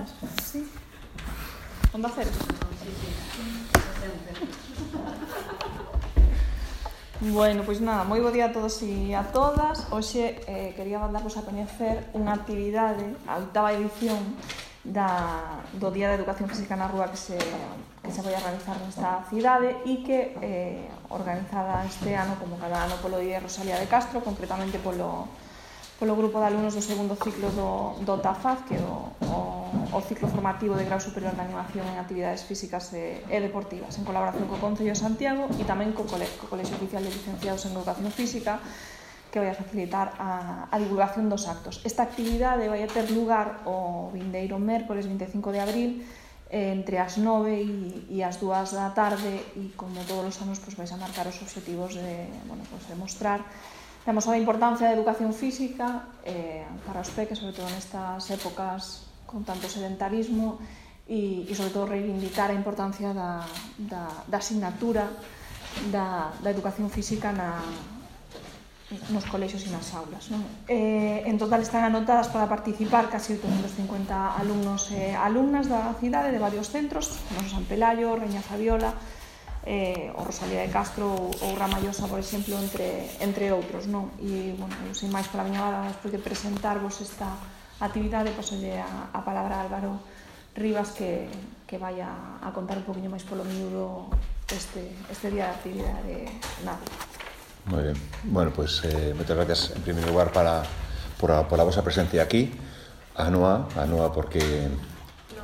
Grazas. Sí. Onda cero. Bueno, pois nada, moi bo día a todos e a todas. Hoxe quería darvos a coñecer unha actividade, a 8ª edición do Día de Educación Física na Rúa que se vai a realizar nesta cidade e que organizada este ano, como cada ano, polo Día Rosalía de Castro, concretamente polo grupo de alumnos do segundo ciclo do TAFAZ, que é o ciclo formativo de grau superior de animación en actividades físicas e deportivas, en colaboración co Concello de Santiago e tamén co Colexio Oficial de Licenciados en Educación Física, que vai a facilitar a divulgación dos actos. Esta actividade vai a ter lugar o vindeiro mércores 25 de abril entre as 9 e as 2 da tarde e, como todos os anos, vais a marcar os obxectivos de mostrar a importancia da educación física para os peques, sobre todo nestas épocas con tanto sedentarismo e sobre todo reivindicar a importancia da asignatura da educación física nos colexios e nas aulas, non? En total están anotadas para participar casi 850 alumnos e alumnas da cidade de varios centros, como San Pelayo, Reña Fabiola, o Rosalía de Castro ou Ramallosa, por exemplo, entre outros, non? E, bueno, sin máis pola miña hora, despois de presentarvos esta actividade, pasolle a palabra a Álvaro Rivas, que vai a contar un poquinho máis polo miúdo este día de actividade nada. Moi ben. Bueno, pois moitas gracias en primeiro lugar por a vosa presencia aquí. A Noa porque...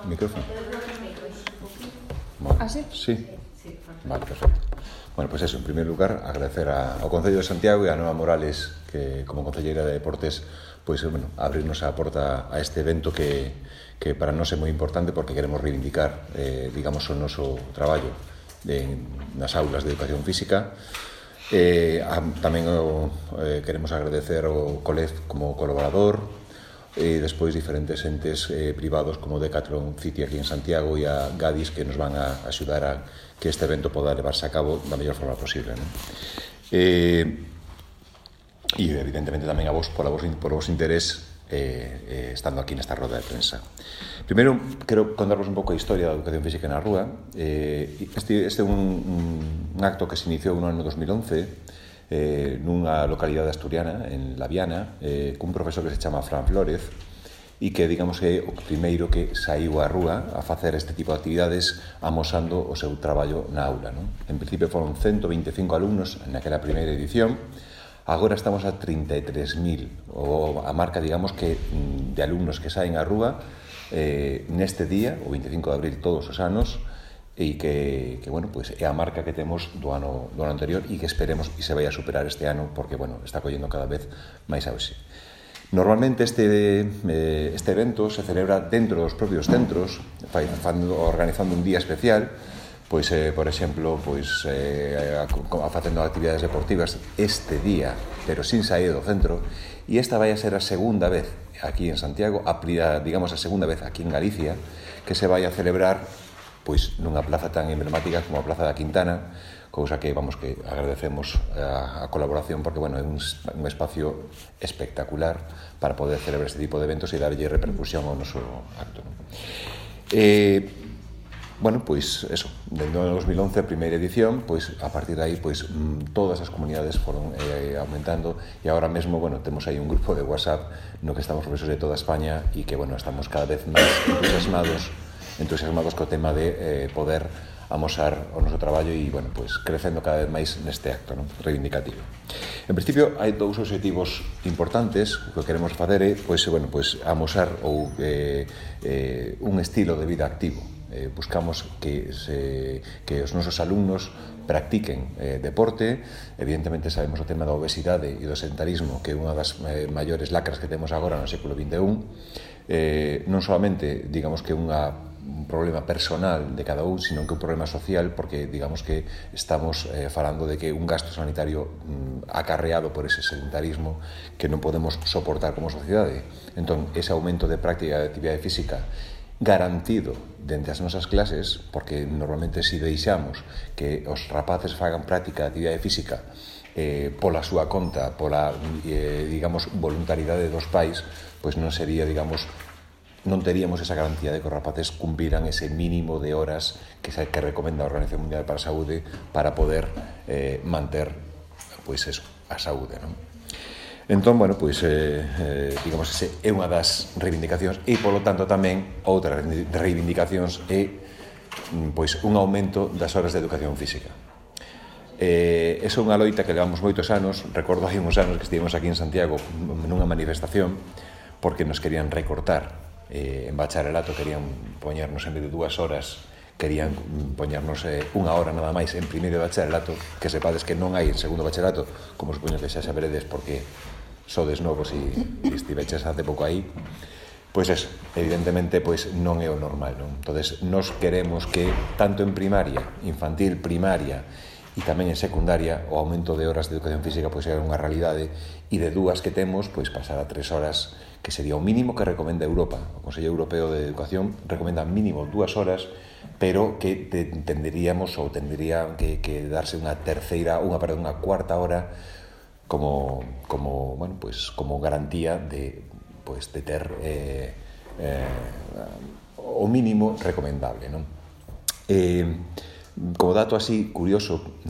Micrófono? Ah, sí? Sí. Vale, perfecto. Bueno, pois eso, en primeiro lugar, agradecer ao Concello de Santiago e a Noa Morales, que como concelleira de Deportes, pois, bueno, abrirnos a porta a este evento que para nós é moi importante porque queremos reivindicar, digamos, o noso traballo nas aulas de educación física. Tamén queremos agradecer ao COLEF como colaborador e despois diferentes entes privados como Decathlon City aquí en Santiago e a Gadis, que nos van a axudar a que este evento poda levarse a cabo da mellor forma posible, non? E evidentemente tamén a vos por vos interés estando aquí nesta roda de prensa. Primeiro, quero contarvos un pouco a historia da educación física na rúa. Este é un acto que se iniciou no ano 2011 nunha localidade asturiana, en La Viana, cun profesor que se chama Fran Flórez, e que, digamos, é o primeiro que saiu á rúa a facer este tipo de actividades amosando o seu traballo na aula, non? En principio foron 125 alumnos naquela primeira edición. Agora estamos a 33.000, ou a marca, digamos, que de alumnos que saen á rúa neste día, o 25 de abril todos os anos, e que bueno, pues é a marca que temos do ano anterior e que esperemos que se vai a superar este ano porque, bueno, está collendo cada vez máis auxe. Normalmente este evento se celebra dentro dos propios centros, organizando un día especial, pois, por exemplo, facendo actividades deportivas este día, pero sin sair do centro, e esta vai a ser a segunda vez aquí en Santiago, digamos a segunda vez aquí en Galicia, que se vai a celebrar pois nunha plaza tan emblemática como a Plaza da Quintana, cousa que, vamos, que agradecemos a colaboración porque, bueno, é un espacio espectacular para poder celebrar este tipo de eventos e darlle repercusión ao noso acto, non? Bueno, pois, eso, dentro do 2011, a primeira edición, pois, a partir de aí, pois, todas as comunidades foron aumentando e agora mesmo, bueno, temos aí un grupo de WhatsApp no que estamos profesores de toda España e que, bueno, estamos cada vez máis entusiasmados co tema de poder amosar o noso traballo e, bueno, pois, crecendo cada vez máis neste acto, non? Reivindicativo. En principio, hai dous obxectivos importantes. O que queremos facer é, pois, bueno, pois, amosar un estilo de vida activo. Buscamos que os nosos alumnos practiquen deporte. Evidentemente sabemos o tema da obesidade e do sedentarismo, que é unha das maiores lacras que temos agora no século XXI. Non solamente, digamos, que un problema personal de cada un, sino que un problema social, porque digamos que estamos falando de que un gasto sanitario acarreado por ese sedentarismo que non podemos soportar como sociedade. Entón, ese aumento de práctica de actividade física garantido dentro das nosas clases, porque normalmente se deixamos que os rapaces fagan práctica de actividade física pola súa conta, pola, digamos, voluntariedade dos pais, pois non sería, digamos, non teríamos esa garantía de que os rapaces cumpriran ese mínimo de horas que recomenda a Organización Mundial para a Saúde para poder manter pois eso, a saúde, non? Entón, bueno, pois, digamos, ese é unha das reivindicacións e, polo tanto, tamén outras reivindicacións é pois un aumento das horas de educación física. Esa é unha loita que levamos moitos anos. Recordo hai uns anos que estivemos aquí en Santiago nunha manifestación porque nos querían recortar en bacharelato, querían poñernos en vez de 2 horas, querían poñernos 1 hora nada máis en primeiro de bacharelato, que sepades que non hai en segundo bacharelato, como supoño que xa saberedes porque sodes novos e estiveches hace pouco aí. Pois eso, evidentemente, pois non é o normal, non? Entonces, nos queremos que tanto en primaria, infantil, primaria e tamén en secundaria o aumento de horas de educación física pois é unha realidade, e de 2 que temos, pois pasar a 3 horas, que sería o mínimo que recomenda Europa. O Consello Europeo de Educación recomenda mínimo 2 horas, pero que tenderíamos ou tendría que darse unha cuarta hora como bueno, pois como garantía de ter o mínimo recomendable, non? Como dato así curioso,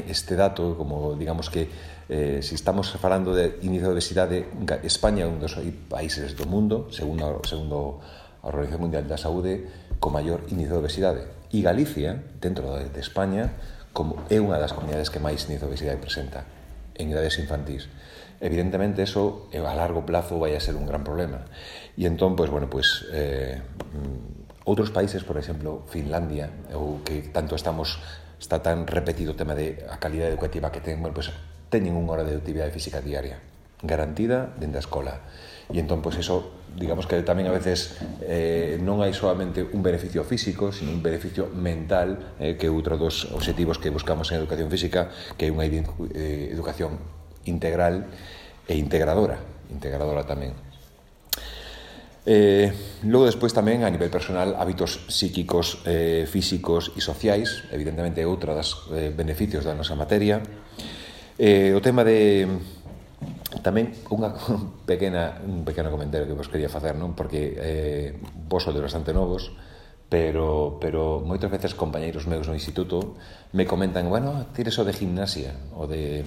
este dato, como digamos que se estamos falando de índice de obesidade, España é un dos países do mundo, segundo a Organización Mundial da Saúde, con maior índice de obesidade, e Galicia, dentro de España, como é unha das comunidades que máis índice de obesidade presenta en idades infantís. Evidentemente, eso a largo plazo vai a ser un gran problema. E entón, pois, bueno, pois, outros países, por exemplo, Finlandia, ou que tanto está tan repetido o tema de a calidade educativa que ten, bueno, pois, teñen 1 hora de actividade física diaria, garantida dentro da escola. E entón, pois, eso, digamos que tamén a veces non hai solamente un beneficio físico, sino un beneficio mental, que é outro dos obxectivos que buscamos en educación física, que é unha educación integral e integradora tamén. Logo, despois tamén, a nivel personal, hábitos psíquicos, físicos e sociais, evidentemente é outra das beneficios da nosa materia. O tema de tamén un pequeno comentario que vos quería facer, non? Porque vos sodes bastante novos, pero moitas veces compañeiros meus no instituto me comentan, bueno, tires o de gimnasia, o de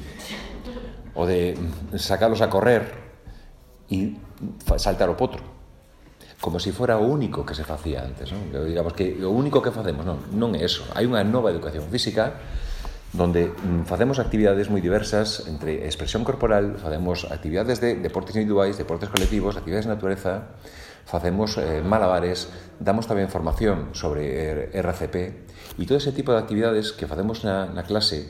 sacalos a correr e saltar o potro, como se fora o único que se facía antes, non? Digamos que o único que facemos, non é eso. Hai unha nova educación física donde facemos actividades moi diversas entre expresión corporal, facemos actividades de deportes individuais, deportes colectivos, actividades de natureza, facemos malabares, damos tamén formación sobre RCP e todo ese tipo de actividades que facemos na clase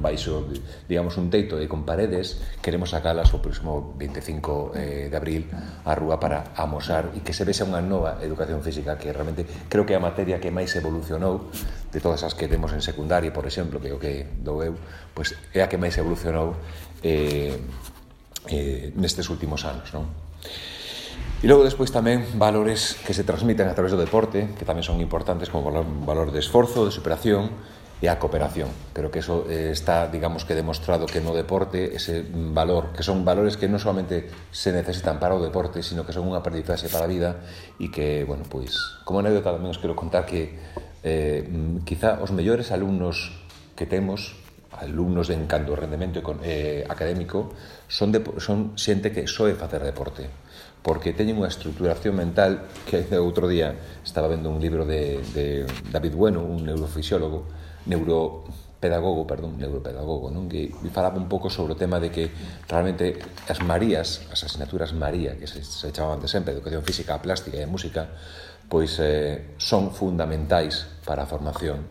baixo, digamos, un teito e con paredes, queremos sacalas o próximo 25 de abril á rúa para amosar e que se vexa unha nova educación física, que realmente creo que é a materia que máis evolucionou de todas as que temos en secundaria, por exemplo, que é o que dou eu, pois é a que máis evolucionou nestes últimos anos, non? E logo despois tamén valores que se transmiten a través do deporte, que tamén son importantes, como valor de esforzo, de superación e a cooperación. Creo que eso está, digamos, que demostrado que no deporte ese valor, que son valores que non solamente se necesitan para o deporte, sino que son unha aprendizaxe para a vida e que, bueno, pois, como anécdota tamén os quero contar que quizá os mellores alumnos que temos, alumnos de encanto rendemento académico, son xente que soe facer deporte, porque teñen unha estructuración mental que outro día estaba vendo un libro de David Bueno, un neuropedagogo, non? Que falaba un pouco sobre o tema de que realmente as Marías, as asignaturas María, que se chamaban de sempre, educación física, plástica e música, pois son fundamentais para a formación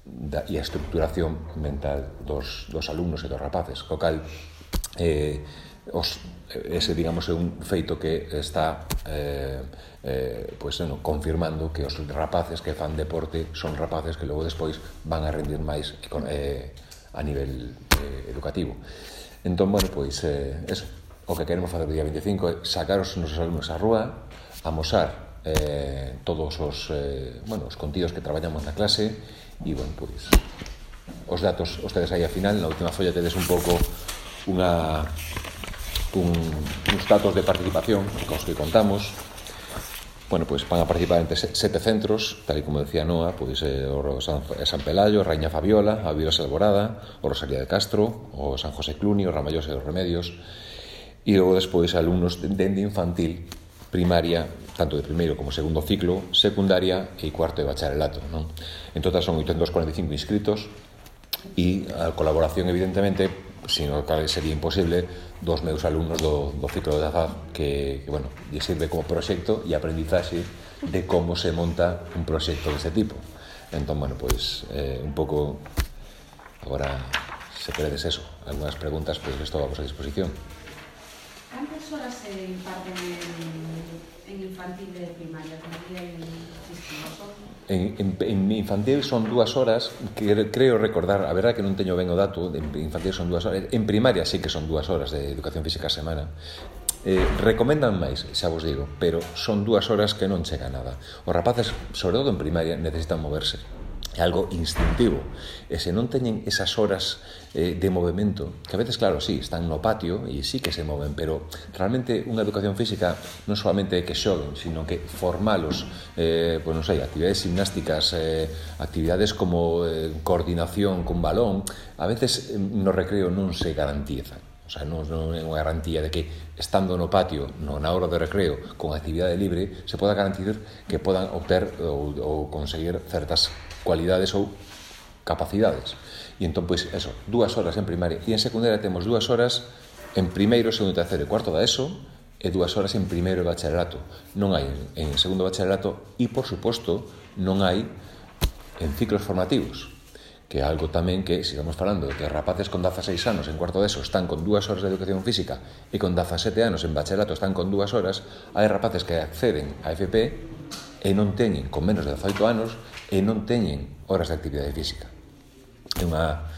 e a estructuración mental dos alumnos e dos rapaces, co cal ese, digamos, é un feito que está confirmando que os rapaces que fan deporte son rapaces que logo despois van a rendir máis a nivel educativo. Entón, bueno, pois eso, o que queremos facer o día 25 é sacar os nosos alumnos á rúa, amosar todos os contidos que traballamos na clase e, bueno, pois os datos, ustedes aí a final, na última folla tedes un pouco uns datos de participación cos que contamos. Bueno, pois van a participar entre 7 centros, tal e como decía Noa, pois o San Pelayo, a Raíña Fabiola, a Vilas Alborada, o Rosalía de Castro, o San José Cluny, o Ramallosa e os Remedios, e logo despois alumnos dende infantil, primaria, tanto de primeiro como segundo ciclo, secundaria e cuarto de bacharelato, non? En total son 845 inscritos e a colaboración, evidentemente, sin o cal sería imposible, dos meus alumnos do ciclo de AFAD que bueno, lle sirve como proxecto e aprendizaxe de como se monta un proxecto deste tipo. Entón, bueno, pois un pouco agora, se queredes eso, algunhas preguntas, pois estou a vosa disposición. Cantas horas se imparten en infantil de primaria? Como día en sistema? En infantil son 2 horas, que creo recordar, a verdade que non teño ben o dato, en infantil son 2 horas, en primaria sí que son 2 horas de educación física a semana. Recomendan máis, xa vos digo, pero son 2 horas que non chega a nada. Os rapaces, sobre todo en primaria, necesitan moverse. É algo instintivo, e se non teñen esas horas de movimento, que a veces, claro, sí, están no patio e sí que se moven, pero realmente unha educación física non solamente é que xoguen, sino que formalos, pois non sei, actividades gimnásticas, actividades como coordinación con balón, a veces no recreo non se garantizan. O sea, non é unha garantía de que estando no patio, na hora de recreo, con actividade libre, se poda garantir que podan obter ou conseguir certas cualidades ou capacidades. E entón, pois, eso, 2 horas en primaria. E en secundaria temos 2 horas en primeiro, segundo, terceiro e cuarto da ESO e 2 horas en primeiro de bacharelato. Non hai en segundo bacharelato e, por suposto, non hai en ciclos formativos, que é algo tamén que, se estamos falando de que rapaces con 16 anos en cuarto de ESO están con 2 horas de educación física e con 17 anos en bacharelato están con 2 horas, hai rapaces que acceden a FP e non teñen, con menos de 18 anos, e non teñen horas de actividade física. É unha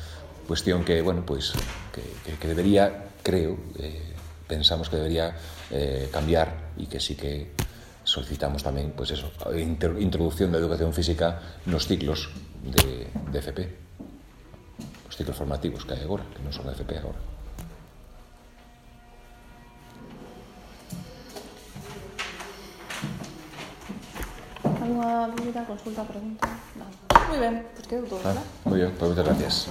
cuestión que, bueno, pois, que debería, creo, pensamos que debería cambiar e que sí que solicitamos tamén, pois eso, a introducción da educación física nos ciclos de FP, os ciclos formativos que hai agora, que non son FP agora. Alguna dúbida, consulta, pregunta? No. Muy ben, pues quedou todo, ¿verdad? Moi ben, pues moitas gracias.